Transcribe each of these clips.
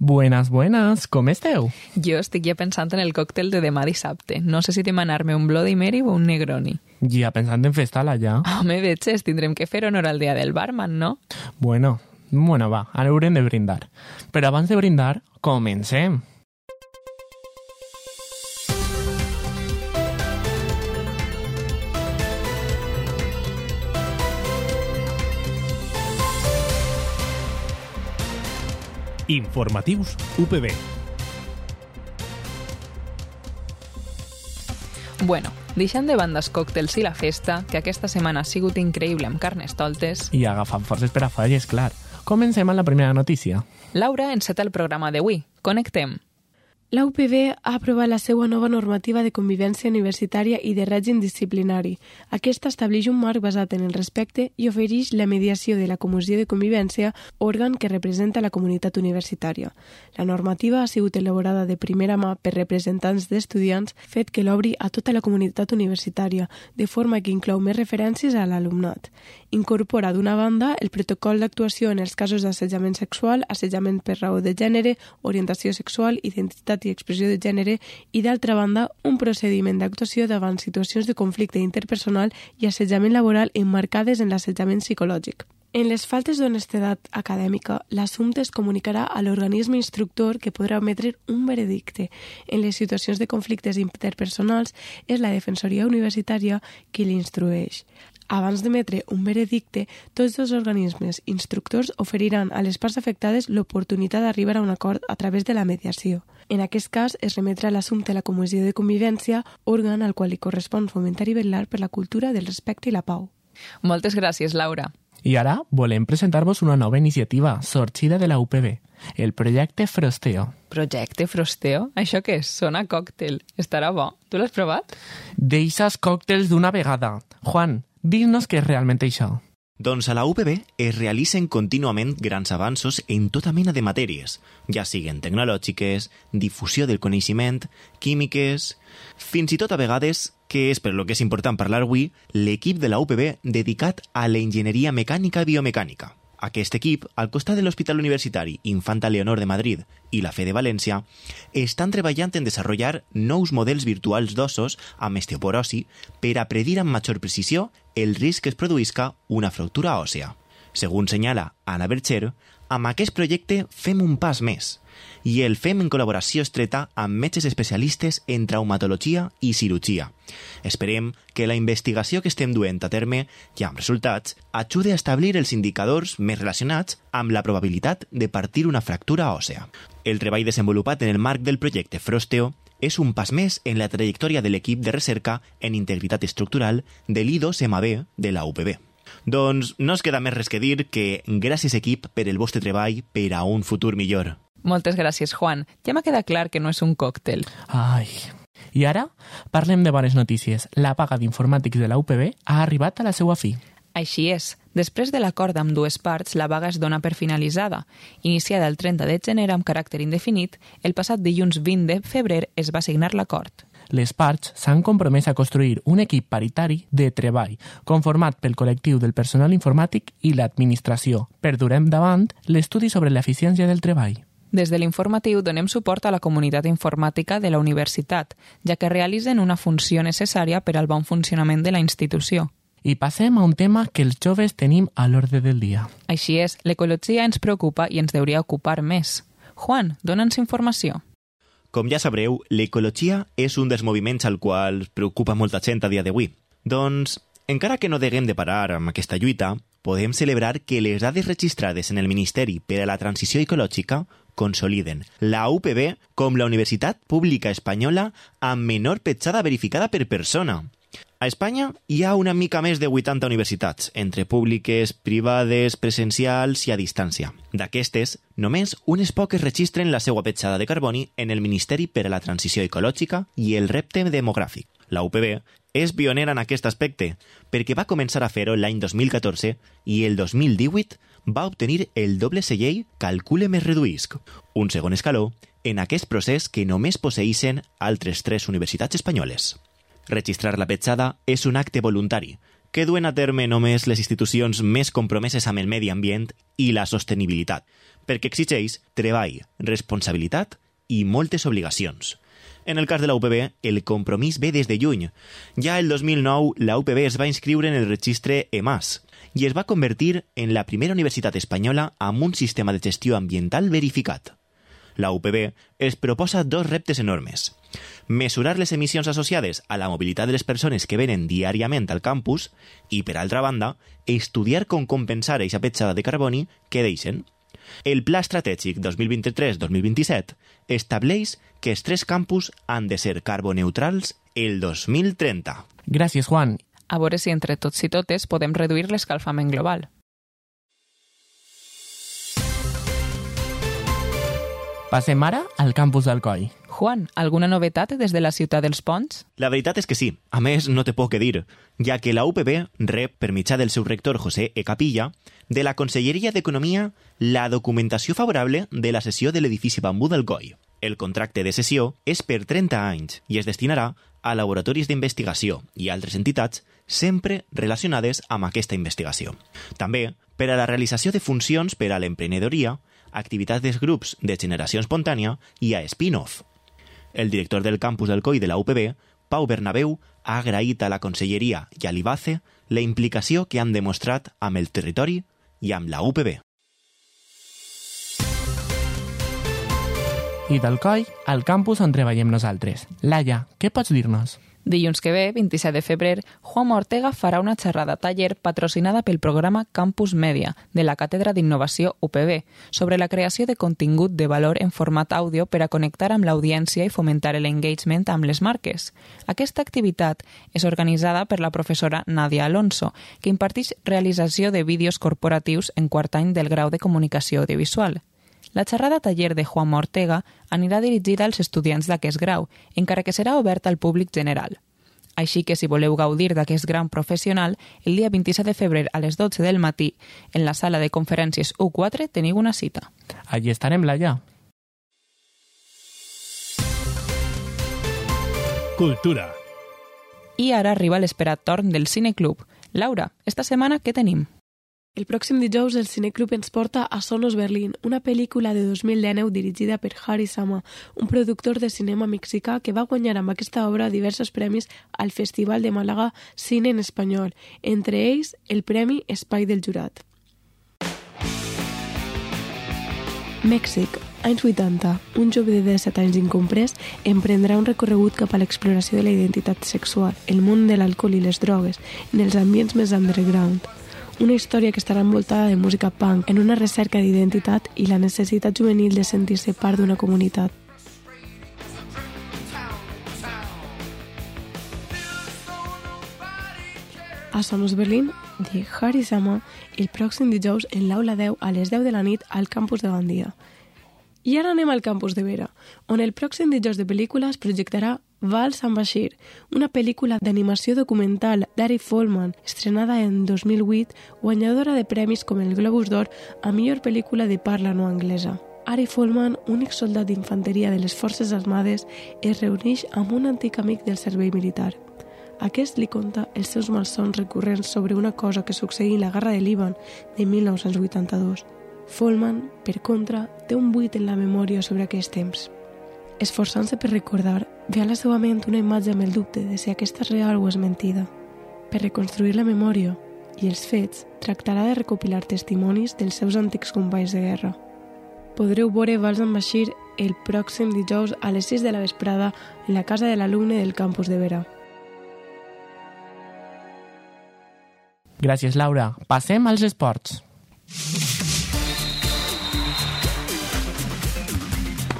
Buenas, buenas, com esteu? Jo estic ja pensant en el còctel de demà dissabte. No sé si demanar-me un Bloody Mary o un Negroni. Ja pensant en festar-la, ja. Home, veig, tindrem que fer honor al dia del barman, no? Bueno, va, ara haurem de brindar. Però abans de brindar, comencem. Informatius UPB. Bueno, deixant de banda els còctels i la festa, que aquesta setmana ha sigut increïble amb carnestoltes... I agafant forces per a falles, clar. Comencem amb la primera notícia. Laura enceta el programa d'avui. Connectem. La UPB ha aprovat la seva nova normativa de convivència universitària i de règim disciplinari. Aquesta estableix un marc basat en el respecte i ofereix la mediació de la Comissió de Convivència, òrgan que representa la comunitat universitària. La normativa ha sigut elaborada de primera mà per representants d'estudiants, fet que l'obri a tota la comunitat universitària, de forma que inclou més referències a l'alumnat. Incorpora, d'una banda, el protocol d'actuació en els casos d'assetjament sexual, assetjament per raó de gènere, orientació sexual, identitat i expressió de gènere i, d'altra banda, un procediment d'actuació davant situacions de conflicte interpersonal i assetjament laboral emmarcades en l'assetjament psicològic. En les faltes d'honestedat acadèmica, l'assumpte es comunicarà a l'organisme instructor que podrà emetre un veredicte. En les situacions de conflictes interpersonals, és la Defensoria Universitària qui l'instrueix. Abans d'emetre un veredicte, tots els organismes instructors oferiran a les parts afectades l'oportunitat d'arribar a un acord a través de la mediació. En aquest cas, es remetrà l'assumpte a la Comissió de Convivència, òrgan al qual li correspon fomentar i vetllar per la cultura del respecte i la pau. Moltes gràcies, Laura. I ara volem presentar-vos una nova iniciativa sorgida de la UPB, el projecte Frosteo. Projecte Frosteo? Això què és? Sona còctel. Estarà bo. Tu l'has provat? Deixa'ls còctels d'una vegada. Juan, dis-nos què és realment això. Doncs a la UPB es realitzen contínuament grans avanços en tota mena de matèries, ja siguen tecnològiques, difusió del coneixement, químiques... Fins i tot a vegades, que és per lo que és important parlar avui, l'equip de la UPB dedicat a la enginyeria mecànica i biomecànica. Aquest equip, al costat de l'Hospital Universitari Infanta Leonor de Madrid i la FE de València, estan treballant en desenvolupar nous models virtuals d'ossos amb osteoporosi per a predir amb major precisió el risc que es produïsca una fractura òssea. Segons senyala Anna Bercher, amb aquest projecte fem un pas més i el fem en col·laboració estreta amb metges especialistes en traumatologia i cirurgia. Esperem que la investigació que estem duent a terme, ja amb resultats, ajude a establir els indicadors més relacionats amb la probabilitat de partir una fractura òssea. El treball desenvolupat en el marc del projecte Frosteo és un pas més en la trajectòria de l'equip de recerca en integritat estructural de l'I2MB de la UPB. Doncs no es queda més res que dir que gràcies equip per el vostre treball per a un futur millor. Moltes gràcies, Juan. Ja m'ha quedat clar que no és un còctel. Ai... I ara parlem de bones notícies. La vaga d'informàtics de la UPB ha arribat a la seva fi. Així és. Després de l'acord amb dues parts, la vaga es dona per finalitzada. Iniciada el 30 de gener amb caràcter indefinit, el passat dilluns 20 de febrer es va signar l'acord. Les parts s'han compromès a construir un equip paritari de treball conformat pel col·lectiu del personal informàtic i l'administració per dur endavant l'estudi sobre l'eficiència del treball. Des de l'informatiu donem suport a la comunitat informàtica de la universitat, ja que realitzen una funció necessària per al bon funcionament de la institució. I passem a un tema que els joves tenim a l'ordre del dia. Així és, l'ecologia ens preocupa i ens hauria ocupar més. Juan, dona'ns informació. Com ja sabreu, l'ecologia és un dels moviments al qual preocupa molta gent a dia d'avui. Doncs, encara que no deguem de parar amb aquesta lluita, podem celebrar que les dades registrades en el Ministeri per a la Transició Ecològica consoliden la UPB com la universitat pública espanyola amb menor petjada verificada per persona. A Espanya hi ha una mica més de 80 universitats, entre públiques, privades, presencials i a distància. D'aquestes, només unes poques registren la seva petjada de carboni en el Ministeri per a la Transició Ecològica i el repte demogràfic. La UPB és pionera en aquest aspecte, perquè va començar a fer-ho l'any 2014 i el 2018 va obtenir el doble segell Calcule més reduïsc, un segon escaló en aquest procés que només posseïssin altres 3 universitats espanyoles. Registrar la petjada és un acte voluntari, que duen a terme només les institucions més compromeses amb el medi ambient i la sostenibilitat, perquè exigeix treball, responsabilitat i moltes obligacions. En el cas de la UPB, el compromís ve des de lluny. Ja el 2009, la UPB es va inscriure en el registre EMAS i es va convertir en la primera universitat espanyola amb un sistema de gestió ambiental verificat. La UPB es proposa dos reptes enormes. Mesurar les emissions associades a la mobilitat de les persones que venen diàriament al campus i, per altra banda, estudiar com compensar aquesta petjada de carboni que deixen. El Pla Estratègic 2023-2027 estableix que els 3 campus han de ser carboneutrals el 2030. Gràcies, Juan. A veure si entre tots i totes podem reduir l'escalfament global. Passem ara al campus d'Alcoi. Juan, alguna novetat des de la ciutat dels Ponts? La veritat és que sí. A més, no té poc que dir, ja que la UPB rep, per mitjà del seu rector José E. Capilla, de la Conselleria d'Economia la documentació favorable de la cessió de l'edifici Bambú d'Alcoi. El contracte de cessió és per 30 anys i es destinarà a laboratoris d'investigació i altres entitats sempre relacionades amb aquesta investigació. També per a la realització de funcions per a l'emprenedoria, activitats dels grups de generació espontània i a spin-off. El director del campus d'Alcoi de la UPB, Pau Bernabéu, ha agraït a la Conselleria i a l'IBACE la implicació que han demostrat amb el territori i amb la UPB. I d'Alcoi, al campus on treballem nosaltres. Laia, què pots dir-nos? Dilluns que ve, 27 de febrer, Juanma Ortega farà una xerrada taller patrocinada pel programa Campus Media de la Càtedra d'Innovació UPB sobre la creació de contingut de valor en format àudio per a connectar amb l'audiència i fomentar l'engagement amb les marques. Aquesta activitat és organitzada per la professora Nadia Alonso, que imparteix realització de vídeos corporatius en quart any del grau de Comunicació Audiovisual. La xerrada taller de Juanma Ortega anirà dirigida als estudiants d'aquest grau, encara que serà oberta al públic general. Així que si voleu gaudir d'aquest gran professional, el dia 27 de febrer a les 12 del matí, en la sala de conferències U4, teniu una cita. Allí estarem, Laia. Cultura. I ara arriba l'esperat torn del Cineclub. Laura, esta setmana què tenim? El pròxim dijous el Cineclub ens porta a Sonos Berlin, una pel·lícula de 2019 dirigida per Harry Sama, un productor de cinema mexicà que va guanyar amb aquesta obra diversos premis al Festival de Màlaga Cine en Espanyol, entre ells el Premi Espai del Jurat. Mèxic, anys 80. Un jove de 17 anys incomprès emprendrà un recorregut cap a l'exploració de la identitat sexual, el món de l'alcohol i les drogues, en els ambients més underground. Una història que estarà envoltada de música punk, en una recerca d'identitat i la necessitat juvenil de sentir-se part d'una comunitat. A Sonos Berlin, de Harry Sama, el pròxim dijous en l'Aula 10 a les 10 de la nit al campus de Gandia. I ara anem al campus de Vera, on el pròxim dijous de pel·lícula es projectarà Vals amb Bashir, una pel·lícula d'animació documental d'Ari Folman, estrenada en 2008, guanyadora de premis com el Globus d'Or a millor pel·lícula de parla no anglesa. Ari Folman, únic soldat d'infanteria de les Forces Armades, es reuneix amb un antic amic del servei militar. Aquest li conta els seus malsons recurrents sobre una cosa que succeí en la Guerra de Líban de 1982. Folman, per contra, té un buit en la memòria sobre aquests temps. Esforçant-se per recordar, ve a la seva ment una imatge amb el dubte de si aquesta és real o és mentida. Per reconstruir la memòria i els fets, tractarà de recopilar testimonis dels seus antics companys de guerra. Podreu veure Vals amb Bashir el pròxim dijous a les 6 de la vesprada en la casa de l'alumne del campus de Vera. Gràcies, Laura. Passem als esports.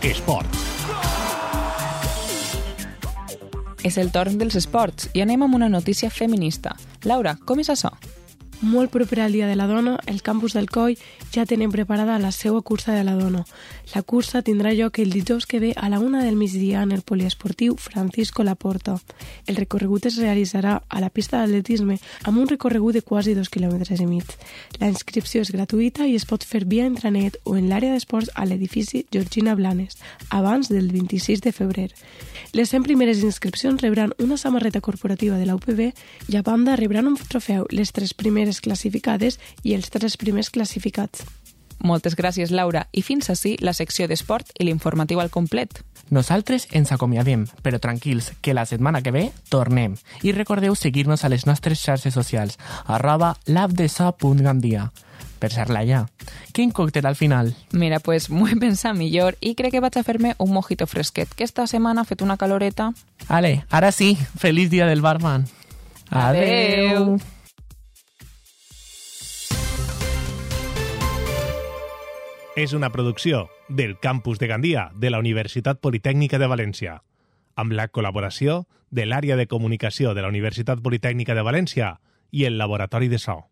Esports. És el torn dels esports i anem amb una notícia feminista. Laura, com és això? Molt proper al Dia de la Dona, el campus del Coll ja tenen preparada la seva cursa de la dona. La cursa tindrà lloc el dijous que ve a la 1 del migdia en el poliesportiu Francisco Laporta. El recorregut es realitzarà a la pista d'atletisme amb un recorregut de quasi 2,5 quilòmetres. La inscripció és gratuïta i es pot fer via intranet o en l'àrea d'esports a l'edifici Georgina Blanes, abans del 26 de febrer. Les 100 primeres inscripcions rebran una samarreta corporativa de la UPB i a banda rebran un trofeu les 3 primeres classificades i els 3 primers classificats. Moltes gràcies, Laura. I fins ací la secció d'esport i l'informatiu al complet. Nosaltres ens acomiadem, però tranquils, que la setmana que ve tornem. I recordeu seguir-nos a les nostres xarxes socials, @labdesa.gandia. Per ser-la ja. Quin còctel al final? Mira, pues m'ho he pensat millor i crec que vaig a fer-me un mojito fresquet, que esta setmana ha fet una caloreta. Ale, ara sí, feliç dia del barman. Adeu. És una producció del Campus de Gandia de la Universitat Politècnica de València, amb la col·laboració de l'Àrea de Comunicació de la Universitat Politècnica de València i el Laboratori de So.